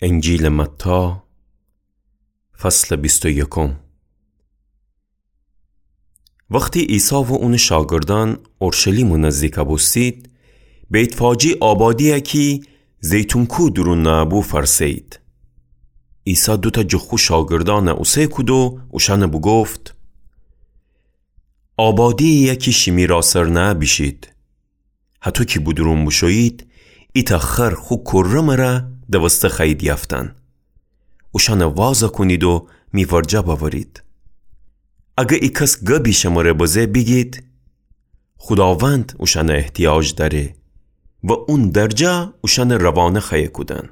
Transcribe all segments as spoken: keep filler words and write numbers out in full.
انجیلٚ متی، فصلٚ بیست و یکم. وختی عیسی و اونٚ شاگردأن اورشلیمٚ نزدیک بوستید، بیت‌فاجی آبادیی کی زیتون کوه دورون نأبو فأرسه‌یید. عیسی دوتأ جٚه خو شاگردأن اوسه کود و اوشأن بوگفت: آبادیی کی شیمی راسر نأبیشید. هتو کی بودورون بوشویید، ایتأ خر خو کره مره دوسته خوأیید یأفتن. اوشأن وازَ کونید و می ورجه بأورید. اگر ایکس گبی شمره بزه، بیگید: خوداوند اوشأن احتیاج دأره و اون درجه اوشأن روانه خوأیه کودن.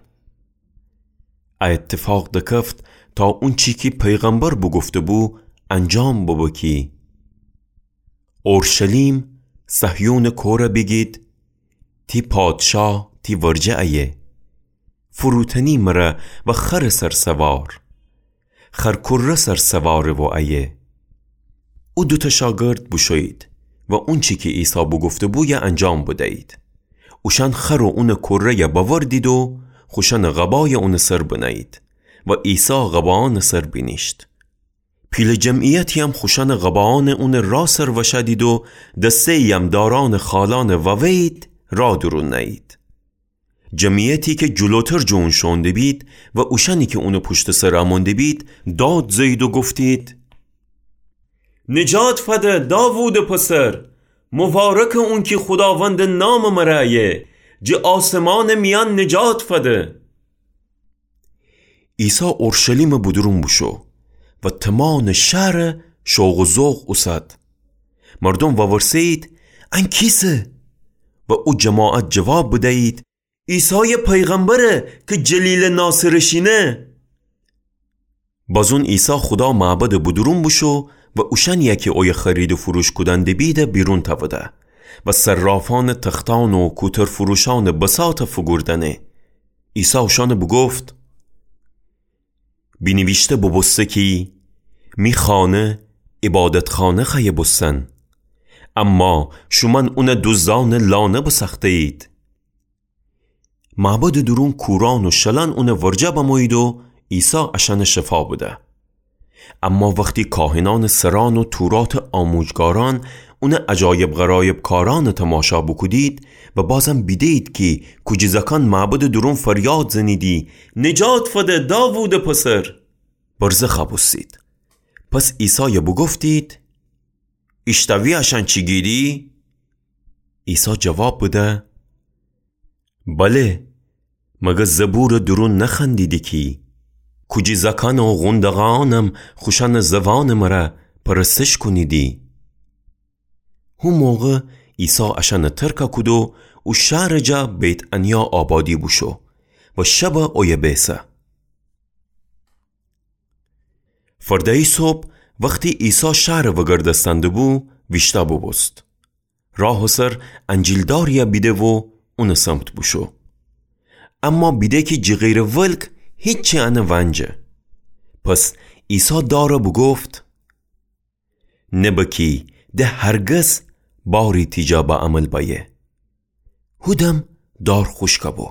ا ایتفاق دکفت تا اونچی کی پیغمبر بوگفته‌بو انجام ببه کی: اورشلیم، صهیونٚ کوره بیگید: تی پادشاه تی ورجه ایه. فروتنی مره و خرٚ سر سوار، خر کره سر سواره و ایه. او دوتأ شاگرد بوشویید و اونچی کی عیسی بوگفته‌بو یه انجام بدیید. اوشأن خر و اونٚ کره‌یَ بأوردید و خوشأنٚ قبایَ اونٚ سر بنه‌یید و عیسی قباانٚ سر بینیشت. پیلٚ جمعیتی‌یم خوشأنٚ قباانَ اونٚ راه سر وشأدید و دسته‌یی‌یم دارأنٚ خالأنَ ووه‌یید، راه دورون نأیید. جمعیتی کی جلوتر جٚه اون شوئون دبید و اوشأنی کی اونٚ پوشتٚ سر امون دبید، داد زه‌یید و گفتید: نجات فده، داوودٚ پسر! مبارکه اون کی خوداوندٚ نامٚ مره ایه! جٚه آسمانٚ میأن نجات فده! عیسی اورشلیمٚ بودورون بوشو و تومانٚ شهرَ شوق و ذوق اوسد. مردوم وورسه‌یید: ان کیسه؟ و او جماعت جواب بدیید: عیسایٚ پیغمبره کی جلیلٚ ناصره شینه. بازون عیسی خودا معبدٚ بودورون بوشو و اوشأنی‌یَ کی اویه خرید و فروش کودن دبیدَ بیرون تأوده و صرافأنٚ تختأن و کوترفروشأنٚ بساطَ فوگوردأنه. عیسی اوشأنَ بوگفت: بینیویشته بوبوسته کی می خانه عبادتخانه خوأیه بوستن، اما شومأن اونَ دوزدأنٚ لانه بسأخته‌یید. معبدٚ دورون کورأن و شلأن اونٚ ورجه بمویید و عیسی اشأنَ شفا بده. اما وختی کاهنأنٚ سرأن و توراتٚ آموجگارأن اونٚ عجایب غرایب کارأنَ تماشا بوکودید و بازم بیده‌یید کی کوجی زأکأن معبدٚ دورون فریاد زنیدی: نجات فده، داوودٚ پسر! برزه خوأبوستید. پس عیسایَ بوگفتید: ایشتأوی اشأن چی گیدی؟ عیسی جواب بده: بله، مگر زبورٚ دورون نخوأندیدی کی کوجی زأکأن و قوندقأنم خوشأنٚ زوأنٚ مره پرستش کونیدی؟ هو موقع عیسی اشأنَ ترکَ کود و او شهرٚ جا بیت‌عنیا آبادی بوشو و شبَ اویه بیسه. فرده‌یی صبح وختی عیسی شهرَ وگردستن دبو، ویشتأ بوبوست. راهٚ سر انجیلداری‌یَ بیده و اونٚ سمت بوشو. اما بیده کی جیغیرٚ ولک هیچی انَ ونجه. پس عیسی دارَ بوگفت: نبه کی ده هرگز باری تی جا به عمل بأیه. هودم دار خوشکَ بو.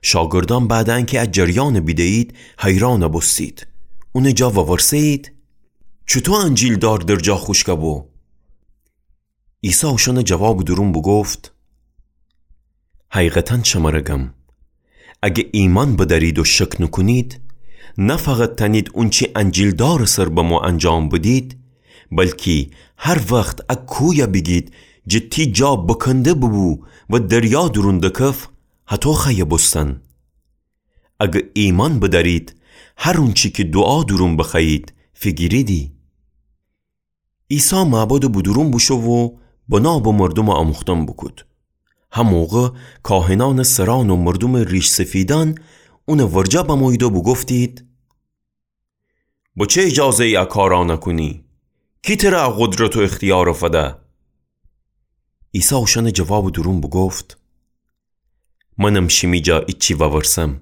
شاگردأن بعدٚ انکی ا جریانَ بیده‌یید، حیرانَ بوستید. اونٚ جا وورسه‌یید: چوطو انجیلدار در جا خوشکَ بو؟ عیسی اوشأنَ جوابٚ دورون بوگفت: حقیقتاً شمره گم، اگه ایمأن بدأرید و شک نوکونید، نه فقط تأنید اونچی انجیلدارٚ سر بمو انجام بدید، بلکی هر وخت ا کویَ بیگید جٚه تی جا بکنده ببو و دریا دورون دکف، هطو خوأیه بوستن. اگه ایمأن بدأرید، هر اونچی کی دوعا دورون بخوأیید، فیگیریدی. عیسی معبدٚ بودورون بوشو و بنا به مردومٚ آموختن بوکود. هموقع کاهنأنٚ سرأن و مردومٚ ریش‌سفیدأن اونٚ ورجه بمویید و بوگفتید: به چه ایجازه‌یی ا کارأنَ کونی؟ کی تره ا قدرت و اختیارَ فده؟ عیسی اوشأنٚ جوابٚ دورون بوگفت: منم شیمی جا ایچی وورسم.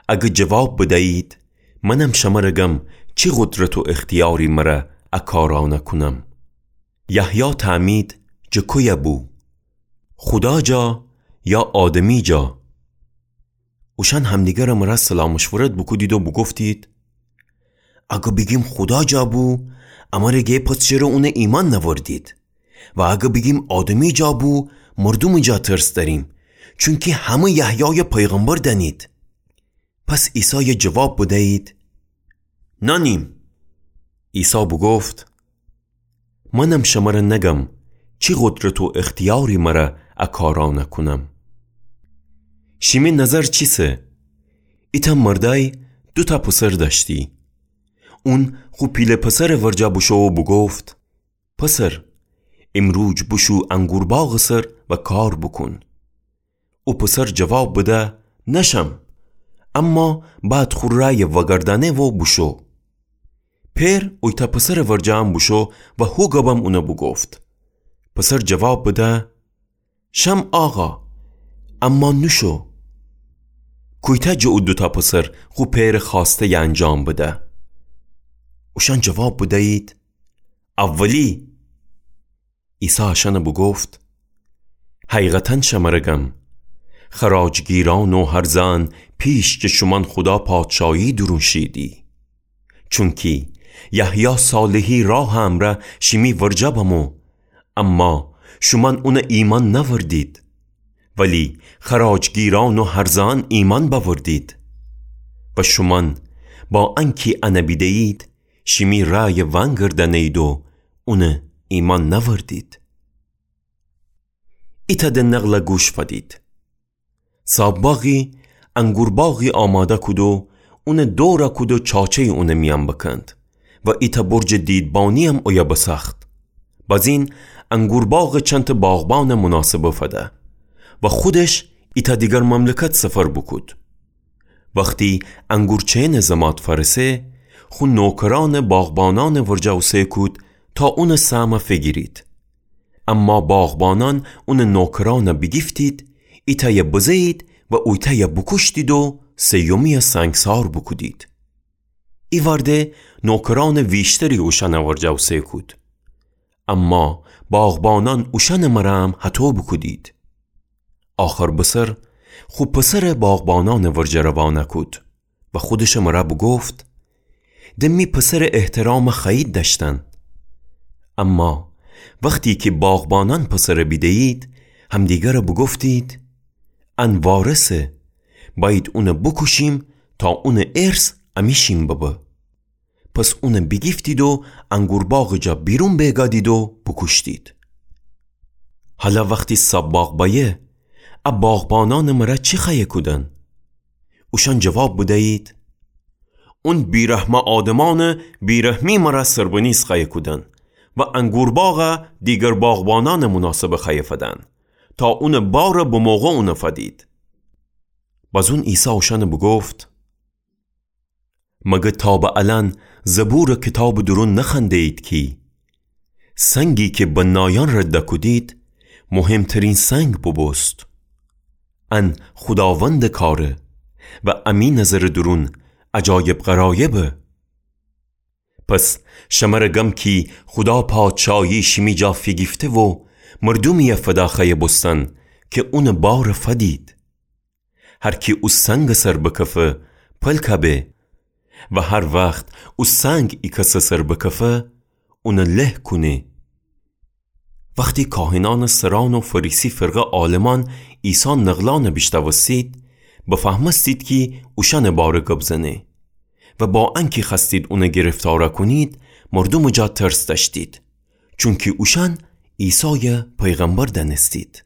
اگه جواب بدأیید، منم شمره گم چی قدرت و اختیاری مره ا کارأنَ کونم. یحیی تعمید جٚه کویه بو؟ خودا جا یا آدمی جا؟ اوشأن همدیگرٚ مرأ صلاح مشورت بوکودید و بوگفتید: اگه بیگیم خودا جا بو، امره گه پس چره اونه ایمأن نأوردید؟ و اگه بیگیم آدمی جا بو، مردومٚ جا ترس دأریم، چونکی همه یحیایٚ پیغمبر دأنید. پس عیسای جواب بدیید: نأنیم. عیسی بوگفت: منم شمره نگم چی قدرت و اختیاری مرأ ا کارأنه کونم. شیمی نظر چیسه؟ ایتأ مردأی دوتأ پسر دأشتی. اون خو پیله پسرٚ ورجه بوشو و بوگفت: پسر، ایمروج بوشو انگورباغٚ سر و کار بوکون. او پسر جواب بده: نشم. اما بعد خو رأیٚ وأگردأنه و بوشو. پئر اویتأ پسرٚ ورجه هم بوشو و هو گبم اونه بوگفت. پسر جواب بده: شم آقا، اما نوشو. کویتأ جٚه او دوتأ پسر خو پئرٚ خوأسته‌یٚ انجام بده؟ اوشأن جواب بدیید: اولی. عیسی اشأنه بوگفت: حقیقتا شمره گم، خراجگیرأن و هرزه‌أن پیش جٚه شومأن خودا پادشایی دورون شیدی. چونکی یحیی صالحی راه امرأ شیمی ورجه بمو، اما شومأن اونه ایمأن نأوردید، ولی خراجگیرأن و هرزه‌أن ایمأن بأوردید. و شومأن با انکی انه بیده‌یید، شیمی رأیٚ ونگردأنه‌یید و اونه ایمأن نأوردید. ایتأ د نقله گوش فدید. صاب‌باغی انگورباغی آماده کود و اونه دورَ کود و چاچه‌یی اونه میأن بکند و ایتأ برجٚ دیدبانی‌یم اویه بسأخت. بزین انگورباغٚ چندتأ باغبانٚ مناسبه فده و خودش ایتأ دیگر مملکت سفر بوکود. وختی انگورچه‌نٚ زمات فأرسه، خو نوکرأنٚ باغبانأنٚ ورجه اوسه کود تا اونٚ سهمَ فیگیرید. اما باغبانأن اونٚ نوکرأنَ بیگیفتید، ایتأیَ بزه‌یید و اویتأیَ بوکوشتید و سیومی‌یَ سنگسار بوکودید. ایوأرده نوکرأنٚ ویشتری اوشأنٚ ورجه اوسه کود. اما باغبانأن اوشأنٚ مرأ هم هطو بوکودید. آخر بسر خو پسرَ باغبانأنٚ ورجه روانه کود و خودشٚ مرأ بوگفت: د می پسرٚ احترامَ خوأیید دأشتن. اما وختی کی باغبانأن پسرَ بیده‌یید، همدیگرَ بوگفتید: ان وارثه، بأیید اونَ بوکوشیم تا اونٚ ارث امی‌شین ببه. پس اونَ بیگیفتید و انگورباغٚ جا بیرون بیگادید و بوکوشتید. حالا وختی صاب‌باغ بأیه، ا باغبانأنٚ مرأ چی خوأیه کودن؟ اوشأن جواب بدیید: اون بیرحمٚ آدمأنٚ بیرحمی مرأ سربنیز خوأیه کودن و انگورباغَ دیگر باغبانأنٚ مناسبه خوأیه فدن، تا اونٚ بارَ بموقع اونَ فدید. بزون عیسی اوشأنَ بوگفت: مگر تا به الأن زبورٚ کیتابٚ دورون نخوأنده‌یید کی، سنگی کی بنایأن رد کودید، مهمترین سنگ بوبوست. ان خوداوندٚ کاره و امی نظرٚ دورون عجایب غرایبه. پس شمرَ گم کی خودا پادشایی شیمی جا فیگیفته و مردومی‌یَ فدا خوأیه بوستن کی اونٚ بارَ فدید. هر کی او سنگٚ سر بکفه، پلکَ به و هر وخت او سنگ ای کسٚ سر بکفه، اونَ له کونه. وختی کاهنأنٚ سرأن و فریسی فرقه عالمأن عیسی نقلأنَ بیشنوستید، بفهمستید کی اوشأنٚ باره گب زنه و با انکی خوأستید اونَ گرفتارَ کونید، مردومٚ جا ترس دأشتید، چونکی اوشأن عیسایَ پیغمبر دأنستید.